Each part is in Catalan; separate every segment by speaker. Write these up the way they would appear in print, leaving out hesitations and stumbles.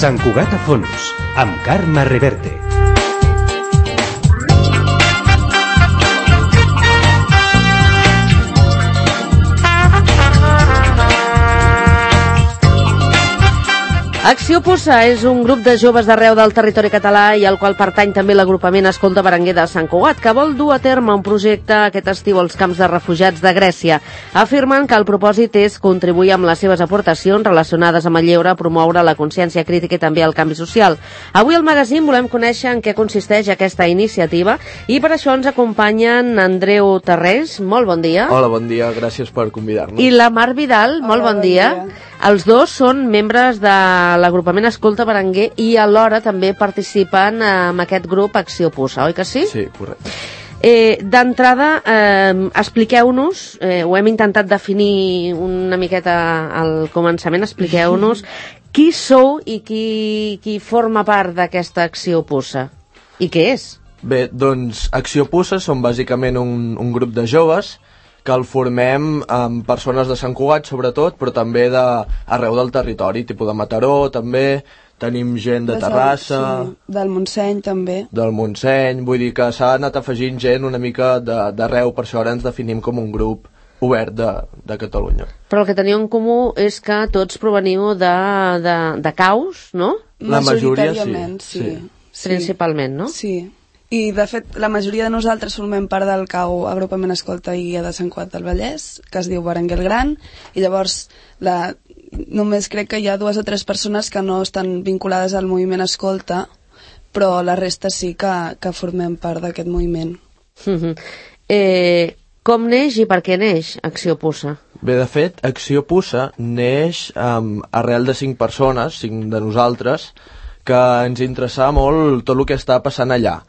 Speaker 1: Sant Cugat a fons, amb Carme Reverte.
Speaker 2: Acció Puça és un grup de joves d'arreu del territori català i al qual pertany també l'agrupament Escolta Berenguer de Sant Cugat, que vol dur a terme un projecte aquest estiu als camps de refugiats de Grècia. Afirmen que el propòsit és contribuir amb les seves aportacions relacionades amb el lleure a promoure la consciència crítica i també el canvi social. Avui al magazín volem conèixer en què consisteix aquesta iniciativa i per això ens acompanyen Andreu Tarrés, molt bon dia.
Speaker 3: Hola, bon dia, gràcies per convidar-nos.
Speaker 2: I la Mar Vidal, molt bon dia. Els dos són membres de l'agrupament Escolta Berenguer i alhora també participen en aquest grup Acció Puça, oi que sí?
Speaker 3: Sí, correcte.
Speaker 2: D'entrada, expliqueu-nos, ho hem intentat definir una miqueta al començament, expliqueu-nos qui sou i qui forma part d'aquesta Acció Puça i què és?
Speaker 3: Bé, doncs Acció Puça són bàsicament un grup de joves que el formem amb persones de Sant Cugat, sobretot, però també d'arreu del territori, tipus de Mataró, també, tenim gent de Terrassa...
Speaker 4: Sí, del Montseny, també.
Speaker 3: Del Montseny, vull dir que s'ha anat afegint gent una mica d'arreu, per això ara ens definim com un grup obert de Catalunya.
Speaker 2: Però el que teniu en comú és que tots proveniu de Caus, no?
Speaker 3: La majoria,
Speaker 4: sí.
Speaker 2: Principalment, no?
Speaker 4: Sí. I, de fet, la majoria de nosaltres formem part del CAU, Agrupament Escolta i Guia de Sant Cugat del Vallès, que es diu Berenguer el Gran, i llavors només crec que hi ha 2 o 3 persones que no estan vinculades al moviment Escolta, però la resta sí que formem part d'aquest moviment.
Speaker 2: Com neix i per què neix Acció Puça?
Speaker 3: Bé, de fet, Acció Puça neix arrel de 5 persones, 5 de nosaltres, que ens interessava molt tot el que està passant allà.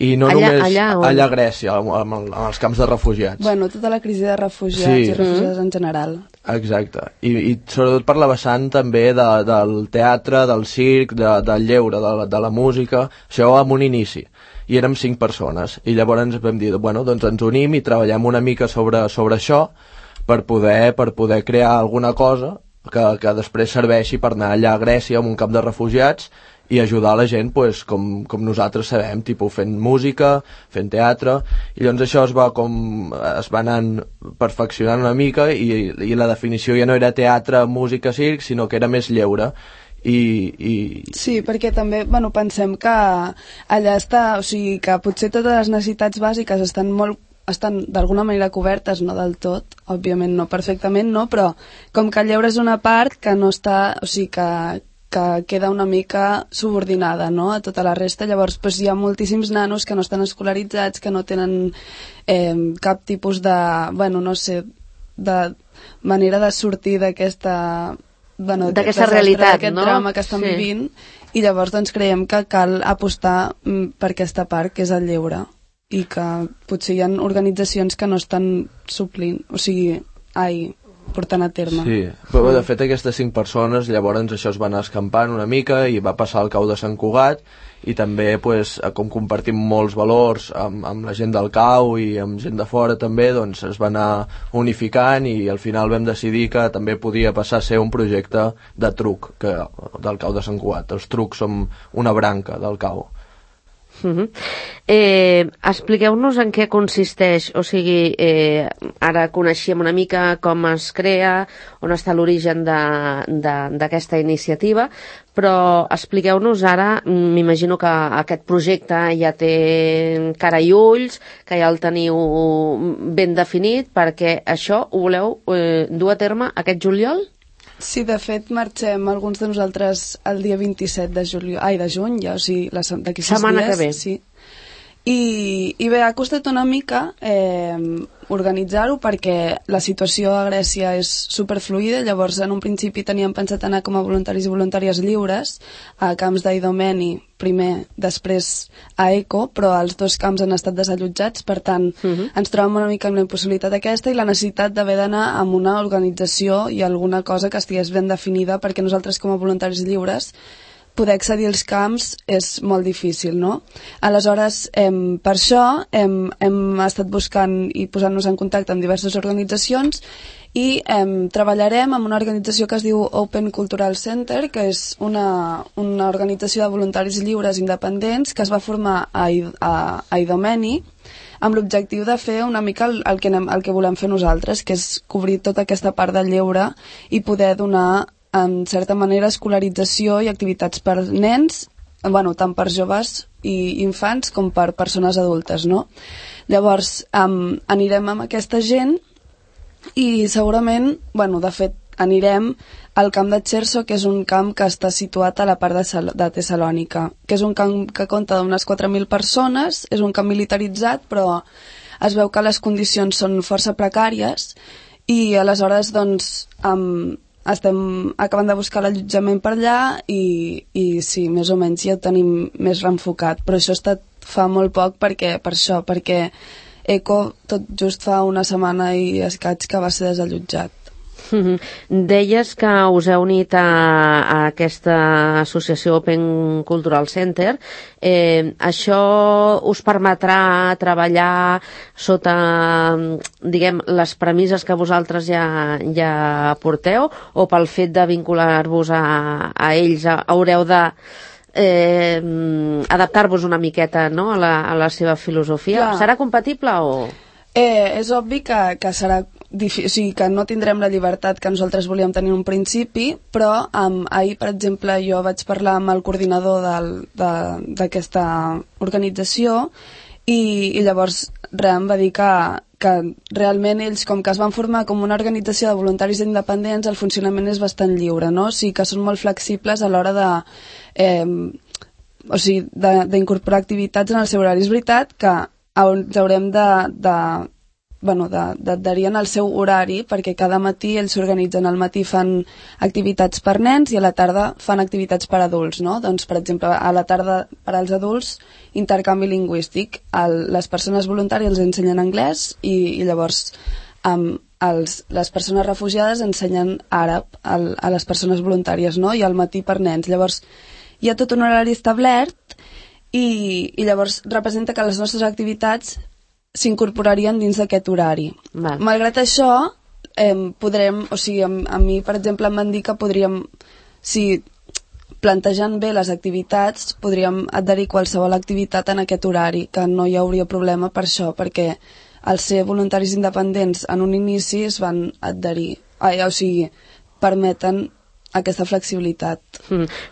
Speaker 3: I no només allà a Grècia, amb els camps de refugiats.
Speaker 4: Bueno, tota la crisi de refugiats i refugiats en general.
Speaker 3: Exacte. I sobretot per la vessant també del teatre, del circ, del lleure, de la música, això amb un inici. I érem 5 persones. I llavors ens vam dir, bueno, doncs ens unim i treballem una mica sobre això per poder crear alguna cosa que després serveixi per anar allà a Grècia, en un camp de refugiats, i ajudar la gent pues, com nosaltres sabem, tipus fent música, fent teatre, i llavors això es va anant perfeccionant una mica i la definició ja no era teatre, música, circ, sinó que era més lleure. Sí,
Speaker 4: perquè també pensem que allà està, o sigui, que potser totes les necessitats bàsiques estan d'alguna manera cobertes, no del tot, òbviament no perfectament, no, però com que el lleure és una part que no està, o sigui, que queda una mica subordinada, no?, a tota la resta. Llavors hi ha moltíssims nanos que no estan escolaritzats, que no tenen cap tipus de, no sé, de manera de sortir d'aquesta
Speaker 2: realitat,
Speaker 4: d'aquest drama que estan vivint, i llavors creiem que cal apostar per aquesta part, que és el lleure, i que potser hi ha organitzacions que no estan suplint, portant a terme.
Speaker 3: Sí, però de fet aquestes 5 persones llavors això es va anar escampant una mica i va passar al CAU de Sant Cugat i també com compartim molts valors amb la gent del CAU i amb gent de fora també, doncs es va anar unificant i al final vam decidir que també podia passar a ser un projecte de truc del CAU de Sant Cugat. Els trucs som una branca del CAU.
Speaker 2: Expliqueu-nos en què consisteix, o sigui, ara coneixíem una mica com es crea, on està l'origen d'aquesta iniciativa, però expliqueu-nos ara, m'imagino que aquest projecte ja té cara i ulls, que ja el teniu ben definit, perquè això ho voleu dur a terme aquest juliol?
Speaker 4: Sí, de fet, marxem alguns de nosaltres el dia 27 de juny, ja, o sigui, d'aquí 6 dies.
Speaker 2: Setmana que ve.
Speaker 4: Sí. I bé, ha costat una mica organitzar-ho perquè la situació a Grècia és superfluida, llavors en un principi teníem pensat anar com a voluntaris i voluntàries lliures a camps d'Idomeni, primer, després a ECO, però els 2 camps han estat desallotjats, per tant ens trobem una mica amb la impossibilitat aquesta i la necessitat d'haver d'anar amb una organització i alguna cosa que estigués ben definida, perquè nosaltres com a voluntaris lliures poder accedir als camps és molt difícil, no? Aleshores, per això hem estat buscant i posant-nos en contacte amb diverses organitzacions i treballarem amb una organització que es diu Open Cultural Center, que és una organització de voluntaris lliures independents que es va formar a Idomeni amb l'objectiu de fer una mica el que volem fer nosaltres, que és cobrir tota aquesta part del lleure i poder donar, en certa manera, escolarització i activitats per nens, tant per joves i infants com per persones adultes, no? Llavors, anirem amb aquesta gent i segurament, de fet, anirem al camp de Cherso, que és un camp que està situat a la part de Tessalònica, que és un camp que compta d'unes 4.000 persones, és un camp militaritzat, però es veu que les condicions són força precàries i aleshores, estem acabant de buscar l'allotjament per allà i sí, més o menys ja ho tenim més reenfocat, però això ha estat fa molt poc perquè ECO tot just fa una setmana i escaig que va ser desallotjat.
Speaker 2: Deies que us heu unit a aquesta associació Open Cultural Center. Això us permetrà treballar sota, les premisses que vosaltres ja porteu, o pel fet de vincular-vos a ells haureu de adaptar-vos una miqueta, no?, a la seva filosofia? Serà compatible o...?
Speaker 4: És obvi que serà difícil, o sigui, que no tindrem la llibertat que nosaltres volíem tenir en un principi, però ahir, per exemple, jo vaig parlar amb el coordinador d'aquesta organització i llavors em va dir que realment ells, com que es van formar com una organització de voluntaris independents, el funcionament és bastant lliure, no? O sigui, que són molt flexibles a l'hora d'incorporar activitats en el seu horari. És veritat que ens haurem d'adherir en el seu horari, perquè cada matí ells s'organitzen. Al matí fan activitats per nens i a la tarda fan activitats per adults, no? Doncs, per exemple, a la tarda per als adults, intercanvi lingüístic. Les persones voluntàries els ensenyen anglès i llavors les persones refugiades ensenyen àrab a les persones voluntàries, no? I al matí per nens. Llavors, hi ha tot un horari establert i llavors representa que les nostres activitats s'incorporarien dins d'aquest horari. Malgrat això, podrem, o sigui, a mi, per exemple, em van dir que podríem, si plantejant bé les activitats, podríem adherir qualsevol activitat en aquest horari, que no hi hauria problema per això, perquè al ser voluntaris independents en un inici es van adherir, o sigui, permeten aquesta flexibilitat.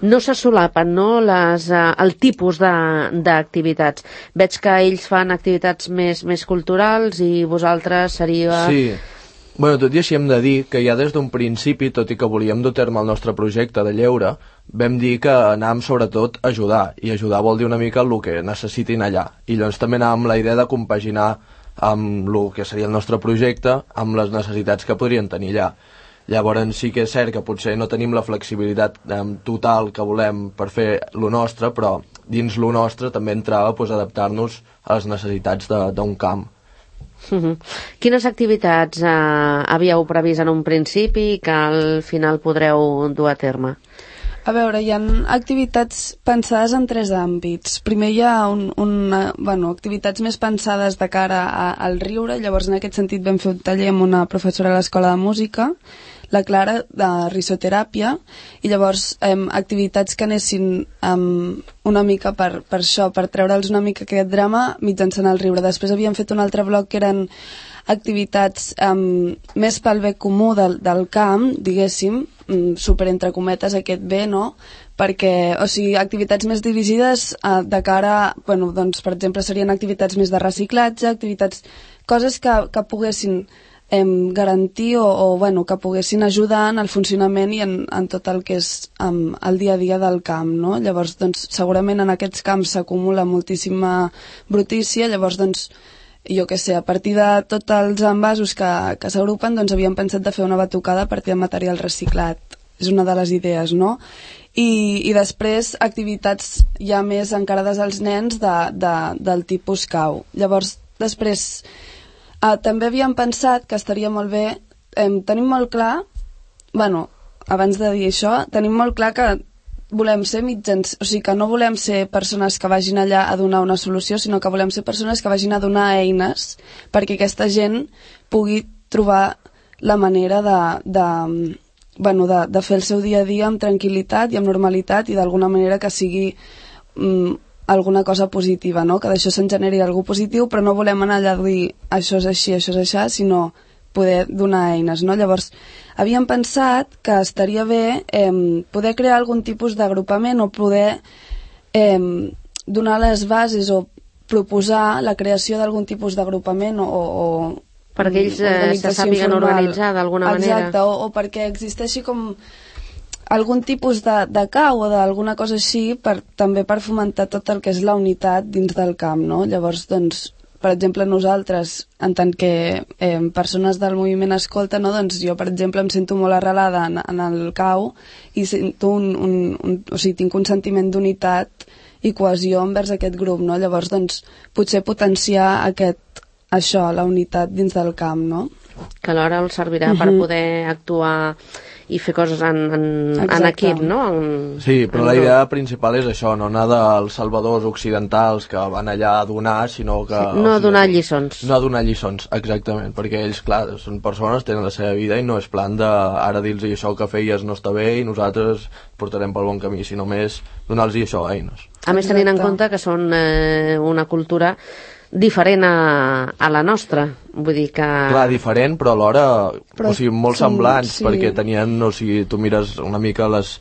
Speaker 2: No se solapen, no?, el tipus d'activitats. Veig que ells fan activitats més culturals i vosaltres seria...
Speaker 3: Sí. Tot i així hem de dir que ja des d'un principi, tot i que volíem dur a terme el nostre projecte de lleure, vam dir que anàvem sobretot a ajudar, i ajudar vol dir una mica el que necessitin allà. I llavors també anàvem amb la idea de compaginar amb el que seria el nostre projecte amb les necessitats que podrien tenir allà. Llavors sí que és cert que potser no tenim la flexibilitat total que volem per fer lo nostre, però dins lo nostre també entrava adaptar-nos a les necessitats d'un camp.
Speaker 2: Quines activitats havíeu previst en un principi que al final podreu dur a terme?
Speaker 4: A veure, hi ha activitats pensades en 3 àmbits. Primer hi ha activitats més pensades de cara al riure, llavors en aquest sentit vam fer un taller amb una professora a l'Escola de Música, la Clara, de risoteràpia, i llavors activitats que anessin una mica per això, per treure'ls una mica aquest drama mitjançant el riure. Després havíem fet un altre bloc que eren activitats més pel bé comú del camp, diguéssim, super entre cometes aquest bé, no? Perquè, o sigui, activitats més dirigides de cara, doncs, per exemple, serien activitats més de reciclatge, coses que poguessin garantir o que poguessin ajudar en el funcionament i en tot el que és el dia a dia del camp, no? Llavors, doncs, segurament en aquests camps s'acumula moltíssima brutícia, llavors, doncs, jo què sé, a partir de tots els envasos que s'agrupen, doncs havíem pensat de fer una batucada a partir de material reciclat. És una de les idees, no? I després activitats ja més encarades als nens del tipus cau. Llavors, després, també havíem pensat que estaria molt bé, tenim molt clar, abans de dir això, tenim molt clar que volem ser mitjans, o sigui que no volem ser persones que vagin allà a donar una solució, sinó que volem ser persones que vagin a donar eines perquè aquesta gent pugui trobar la manera de fer el seu dia a dia amb tranquil·litat i amb normalitat i d'alguna manera que sigui alguna cosa positiva, no? Que d'això se'n generi algú positiu, però no volem anar allà a dir això és així, això és això, sinó poder donar eines, no? Llavors, havíem pensat que estaria bé poder crear algun tipus d'agrupament o poder donar les bases o proposar la creació d'algun tipus d'agrupament o
Speaker 2: perquè ells se sàpiguen organitzar d'alguna manera.
Speaker 4: Exacte, o perquè existeixi com algun tipus de cau o d'alguna cosa així també per fomentar tot el que és la unitat dins del camp, no? Llavors, doncs, per exemple, nosaltres, en tant que persones del moviment escolta, no? Doncs jo, per exemple, em sento molt arrelada en el cau i sento o sigui, tinc un sentiment d'unitat i cohesió envers aquest grup, no? Llavors, doncs, potser potenciar això, la unitat dins del camp, no?
Speaker 2: Que alhora els servirà per poder actuar i fer coses en equip, no?
Speaker 3: Sí, però la idea principal és això, no anar dels salvadors occidentals que van allà a donar, sinó que...
Speaker 2: Sí, no a donar lliçons.
Speaker 3: No a donar lliçons, exactament, perquè ells, clar, són persones, tenen la seva vida i no és plan d'ara dir-los això que feies no està bé i nosaltres portarem pel bon camí, sinó més donar-los això, eines.
Speaker 2: A més, tenint en compte que són una cultura diferent a la nostra, vull dir que...
Speaker 3: Clar, diferent, però alhora o sigui, molt semblants, sí. Perquè tenien, o sigui, tu mires una mica les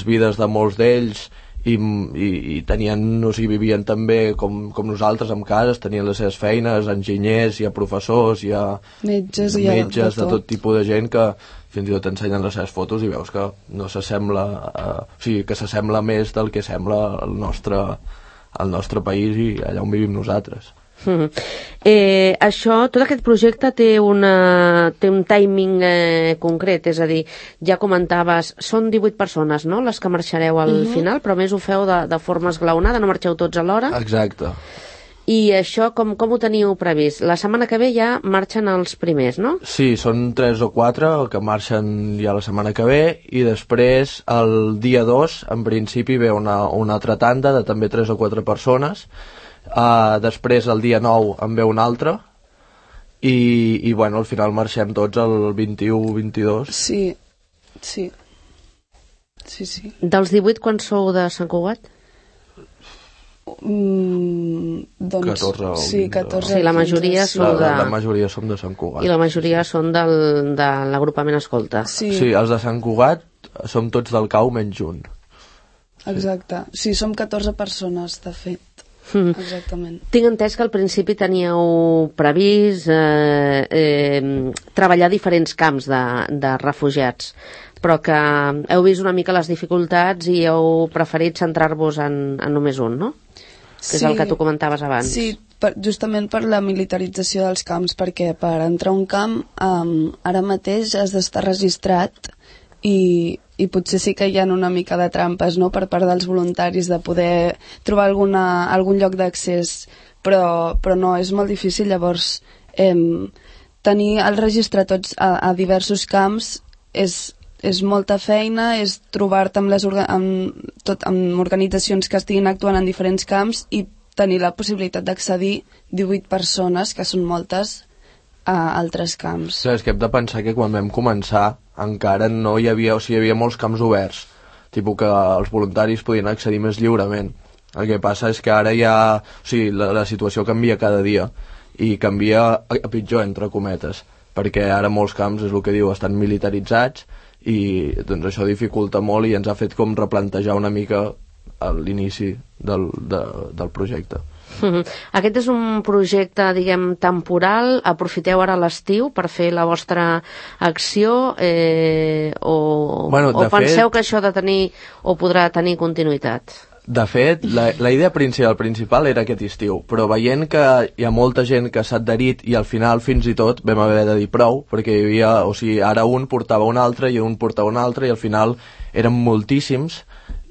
Speaker 3: vides de molts d'ells i tenien, o sigui, vivien també com nosaltres en cases, tenien les seves feines, enginyers, hi ha professors, hi ha metges de tot tipus de gent que fins i tot t'ensenyen les seves fotos i veus que no s'assembla, o sigui, que s'assembla més del que sembla el nostre país i allà on vivim nosaltres.
Speaker 2: Això, tot aquest projecte té un timing concret, és a dir, ja comentaves, són 18 persones, no?, les que marxareu al final, però més ho feu de forma esglaonada, no marxeu tots alhora?
Speaker 3: Exacte.
Speaker 2: I això com ho teniu previst? La setmana que ve ja marxen els primers, no?
Speaker 3: Sí, són 3 o 4 que marxen ja la setmana que ve i després el dia 2 en principi ve una altra tanda de també 3 o 4 persones. Després el dia 9 en ve un altre i bueno, al final marxem tots el 21-22.
Speaker 4: Sí.
Speaker 2: Dels 18 quan sou de Sant Cugat?
Speaker 4: Doncs
Speaker 3: 14 o 20.
Speaker 4: Sí, 14.
Speaker 2: Sí, la majoria sou
Speaker 3: la majoria som de Sant Cugat.
Speaker 2: I la majoria són de l'agrupament escolta.
Speaker 3: Sí, els de Sant Cugat som tots del cau menys un.
Speaker 4: Exacte. Sí, som 14 persones, de fet. Exactament.
Speaker 2: Tinc entès que al principi teníeu previst treballar diferents camps de refugiats, però que heu vist una mica les dificultats i heu preferit centrar-vos en només un, no? Que és el que tu comentaves abans.
Speaker 4: Sí, justament per la militarització dels camps, perquè per entrar a un camp ara mateix has d'estar registrat i potser sí que hi ha una mica de trampes, no?, per part dels voluntaris de poder trobar algun lloc d'accés, però no, és molt difícil. Llavors tenir el registre tots a diversos camps és molta feina, és trobar-te amb organitzacions que estiguin actuant en diferents camps i tenir la possibilitat d'accedir 18 persones, que són moltes, a altres camps.
Speaker 3: Sí, és que hem de pensar que quan vam començar encara no hi havia, o sigui, hi havia molts camps oberts, tipus que els voluntaris podien accedir més lliurement. El que passa és que ara ja, o sigui, la situació canvia cada dia i canvia a pitjor, entre cometes, perquè ara molts camps, és el que diu, estan militaritzats i doncs això dificulta molt i ens ha fet com replantejar una mica l'inici del projecte.
Speaker 2: Aquest és un projecte, diguem, temporal. Aprofiteu ara l'estiu per fer la vostra acció o penseu que això podrà tenir continuïtat?
Speaker 3: De fet, la idea principal era aquest estiu, però veient que hi ha molta gent que s'ha adherit i al final fins i tot vam haver de dir prou, perquè hi havia, o sigui, ara un portava un altre i un portava un altre i al final eren moltíssims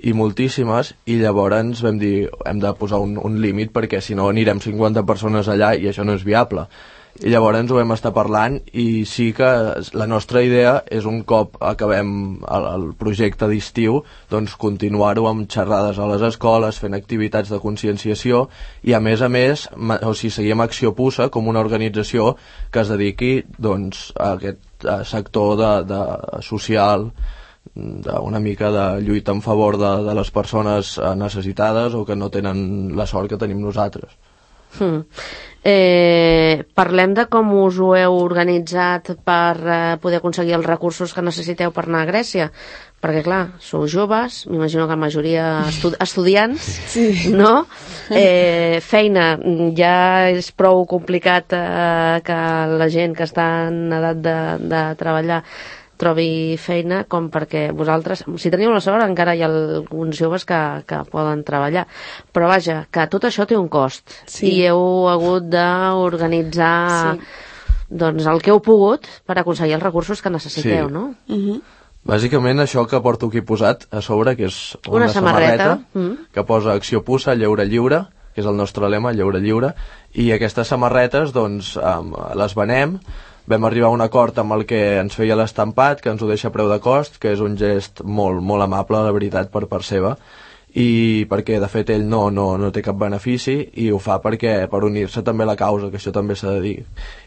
Speaker 3: i moltíssimes, i llavors vam dir hem de posar un límit perquè si no anirem 50 persones allà i això no és viable. I llavors ho vam estar parlant i sí que la nostra idea és un cop acabem el projecte d'estiu, doncs continuar-ho amb xerrades a les escoles, fent activitats de conscienciació i a més, seguim Acció Puça com una organització que es dediqui doncs, a aquest sector de social, una mica de lluita en favor de les persones necessitades o que no tenen la sort que tenim nosaltres.
Speaker 2: Parlem de com us ho heu organitzat per poder aconseguir els recursos que necessiteu per anar a Grècia, perquè clar, sou joves, m'imagino que la majoria estudiants,
Speaker 4: Sí.
Speaker 2: no? Feina, ja és prou complicat que la gent que està en edat de treballar trobi feina, com perquè vosaltres, si teniu la sort, encara hi ha alguns joves que poden treballar, però vaja, que tot això té un cost,
Speaker 4: Sí.
Speaker 2: i heu hagut d'organitzar doncs el que heu pogut per aconseguir els recursos que necessiteu,
Speaker 3: Sí.
Speaker 2: no?
Speaker 3: Bàsicament això que porto aquí posat a sobre, que és una
Speaker 2: samarreta.
Speaker 3: que posa Acció Puça, lleure lliure, que és el nostre lema, lleure lliure, i aquestes samarretes doncs les venem. Vam arribar a un acord amb el que ens feia l'estampat, que ens ho deixa a preu de cost, que és un gest molt, molt amable, la veritat, per part seva, i perquè de fet ell no té cap benefici i ho fa per unir-se també a la causa, que això també s'ha de dir,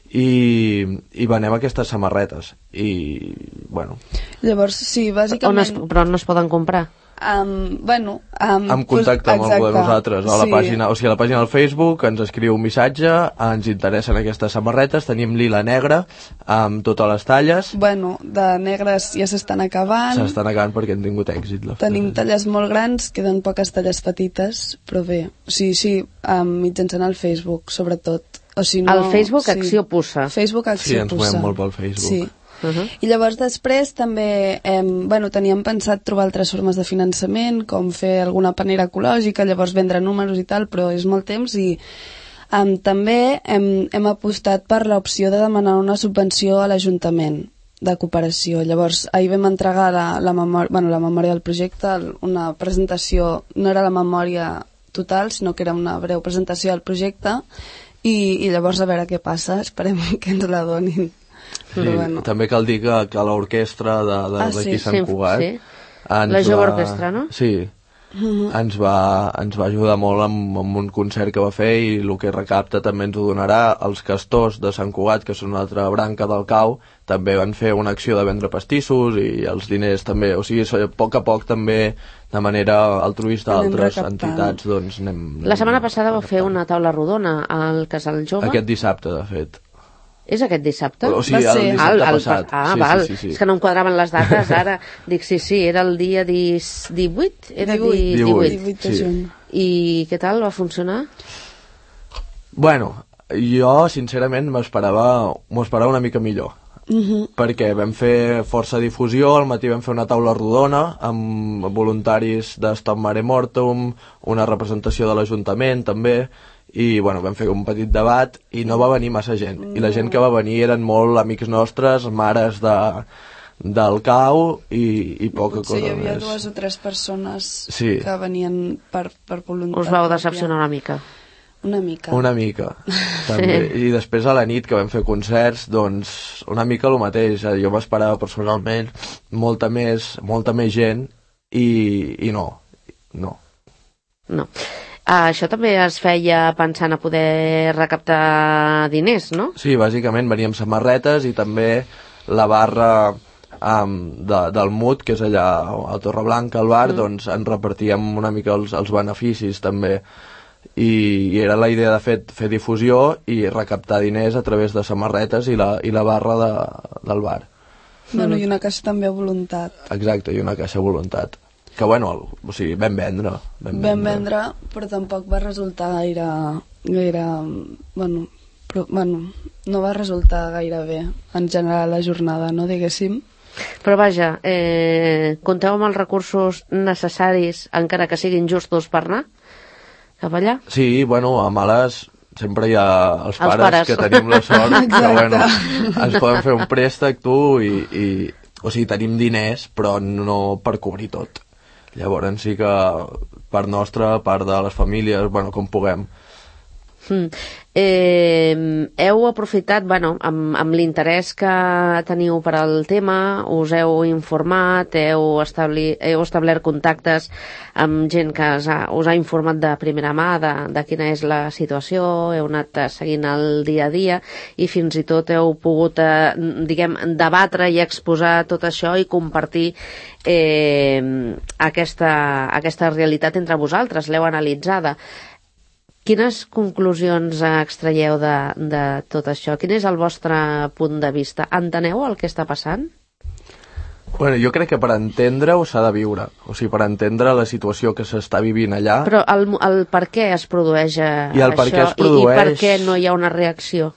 Speaker 3: i venem aquestes samarretes i bueno,
Speaker 4: Llavors, sí, bàsicament...
Speaker 2: Però no es poden comprar?
Speaker 3: en contacte amb algú de nosaltres a la pàgina, o sigui, a la pàgina del Facebook ens escriu un missatge, ens interessen aquestes samarretes, tenim lila negra amb totes les talles.
Speaker 4: Bueno, de negres ja s'estan acabant.
Speaker 3: S'estan acabant perquè han tingut èxit.
Speaker 4: Tenim talles molt grans, queden poques talles petites, però bé, sí, mitjançant el Facebook, sobretot. O si no,
Speaker 2: El Facebook Acció Puça.
Speaker 4: Facebook Acció Puça.
Speaker 3: Sí, ens movem molt pel Facebook.
Speaker 4: Sí. I llavors després també teníem pensat trobar altres formes de finançament, com fer alguna panera ecològica, llavors vendre números i tal, però és molt temps i també hem apostat per l'opció de demanar una subvenció a l'Ajuntament de cooperació. Llavors ahir vam entregar la memòria del projecte, una presentació, no era la memòria total, sinó que era una breu presentació del projecte i llavors a veure què passa, esperem que ens la donin.
Speaker 3: Sí, també cal dir que l'orquestra d'aquí Sant Cugat,
Speaker 2: la jove orquestra, no?
Speaker 3: Sí, ens va ajudar molt amb un concert que va fer i el que recapta també ens ho donarà. Els castors de Sant Cugat, que són una altra branca del CAU, també van fer una acció de vendre pastissos i els diners també, o sigui, a poc també de manera altruista a altres entitats doncs anem...
Speaker 2: La setmana passada vau fer una taula rodona al Casal Jove.
Speaker 3: Aquest dissabte, de fet.
Speaker 2: És aquest dissabte?
Speaker 3: O sigui, el dissabte passat.
Speaker 2: Val.
Speaker 3: Sí.
Speaker 2: És que no em quadraven les dates ara. Dic, sí, era el dia 18? Era
Speaker 4: 18 de juny.
Speaker 2: I què tal, va funcionar?
Speaker 3: Bueno, jo sincerament m'ho esperava una mica millor. Perquè vam fer força difusió, al matí vam fer una taula rodona amb voluntaris de Stop Mare Mortum, una representació de l'Ajuntament també, i bueno, vam fer un petit debat i no va venir massa gent, i la gent que va venir eren molt amics nostres, mares del CAU i poca cosa més.
Speaker 4: Sí, hi havia 2 o 3 persones que venien per voluntat.
Speaker 2: Us vau decepcionar una mica?
Speaker 4: Una mica.
Speaker 3: També. I després a la nit que vam fer concerts, doncs una mica el mateix, jo m'esperava personalment molta més gent i no.
Speaker 2: Això també es feia pensant a poder recaptar diners, no?
Speaker 3: Sí, bàsicament veníem samarretes i també la barra del MUT, que és allà a Torreblanca, al bar, doncs en repartíem una mica els beneficis també. I era la idea de fer difusió i recaptar diners a través de samarretes i la barra del bar.
Speaker 4: Bueno, i una caixa també a voluntat.
Speaker 3: Exacte, i una caixa a voluntat. Que bueno, o sigui, vam vendre,
Speaker 4: però tampoc va resultar gaire no va resultar gaire bé en general la jornada, no, diguéssim.
Speaker 2: Però vaja, compteu amb els recursos necessaris, encara que siguin justos, per anar cap allà?
Speaker 3: Sí, bueno, a males sempre hi ha els pares que tenim la sort que bueno, ens poden fer un préstec o sigui, tenim diners però no per cobrir tot. Llavors sí que part nostra, part de les famílies, bueno, com puguem.
Speaker 2: Heu aprofitat, amb l'interès que teniu per al tema, us heu informat, heu establert contactes amb gent que us ha informat de primera mà de quina és la situació, heu anat seguint el dia a dia i fins i tot heu pogut, debatre i exposar tot això i compartir aquesta realitat entre vosaltres, l'heu analitzada. Quines conclusions extraieu de tot això? Quin és el vostre punt de vista? Enteneu el que està passant?
Speaker 3: Bueno, jo crec que per entendre-ho s'ha de viure. O sigui, per entendre la situació que s'està vivint allà...
Speaker 2: Però el per què es produeix això? I per què no hi ha una reacció?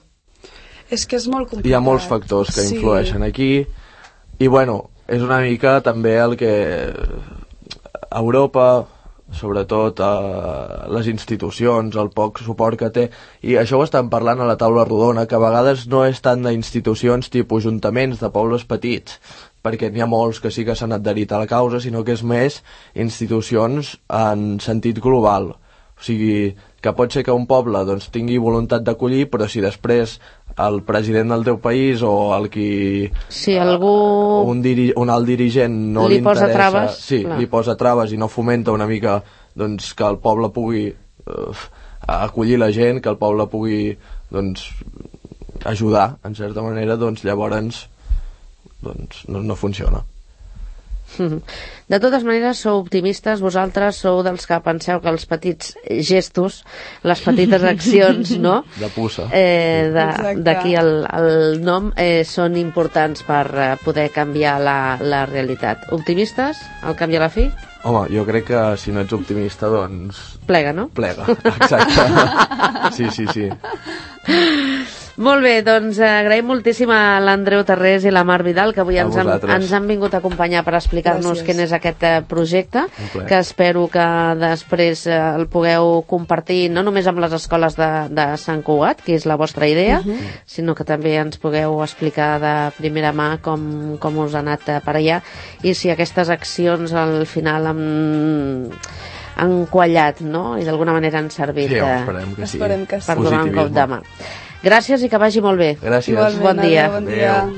Speaker 4: És que és molt complicat.
Speaker 3: Hi ha molts factors que influeixen aquí. I, bueno, és una mica també el que Europa, sobretot les institucions, el poc suport que té, i això ho estan parlant a la taula rodona, que a vegades no és tant d'institucions tipus ajuntaments de pobles petits, perquè n'hi ha molts que sí que s'han adherit a la causa, sinó que és més institucions en sentit global. O sigui, que pot ser que un poble tingui voluntat d'acollir, però si després el president del teu país o el qui...
Speaker 2: Si algú...
Speaker 3: un alt dirigent no li
Speaker 2: posa
Speaker 3: interessa...
Speaker 2: traves,
Speaker 3: sí, li posa traves i no fomenta una mica que el poble pugui acollir la gent, que el poble pugui ajudar, en certa manera, llavors no funciona.
Speaker 2: De totes maneres, sou optimistes, vosaltres sou dels que penseu que els petits gestos, les petites accions, no?
Speaker 3: De puça.
Speaker 2: D'aquí el nom, són importants per poder canviar la realitat. Optimistes, al cap i a la fi?
Speaker 3: Home, jo crec que si no ets optimista,
Speaker 2: Plega, no?
Speaker 3: Plega, exacte. Sí.
Speaker 2: Molt bé, agraïm moltíssim a l'Andreu Tarrés i la Mar Vidal, que avui ens han vingut a acompanyar per explicar-nos quin és aquest projecte, que espero que després el pugueu compartir no només amb les escoles de Sant Cugat, que és la vostra idea, sinó que també ens pugueu explicar de primera mà com us ha anat per allà i si aquestes accions al final han quallat, no? I d'alguna manera han servit
Speaker 3: esperem que sí.
Speaker 2: Per donar un cop de mà. Gràcies i que vagi molt bé.
Speaker 3: Gràcies.
Speaker 4: Igualment,
Speaker 2: bon dia.
Speaker 4: Bon dia.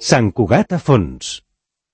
Speaker 1: Sant Cugat a fons.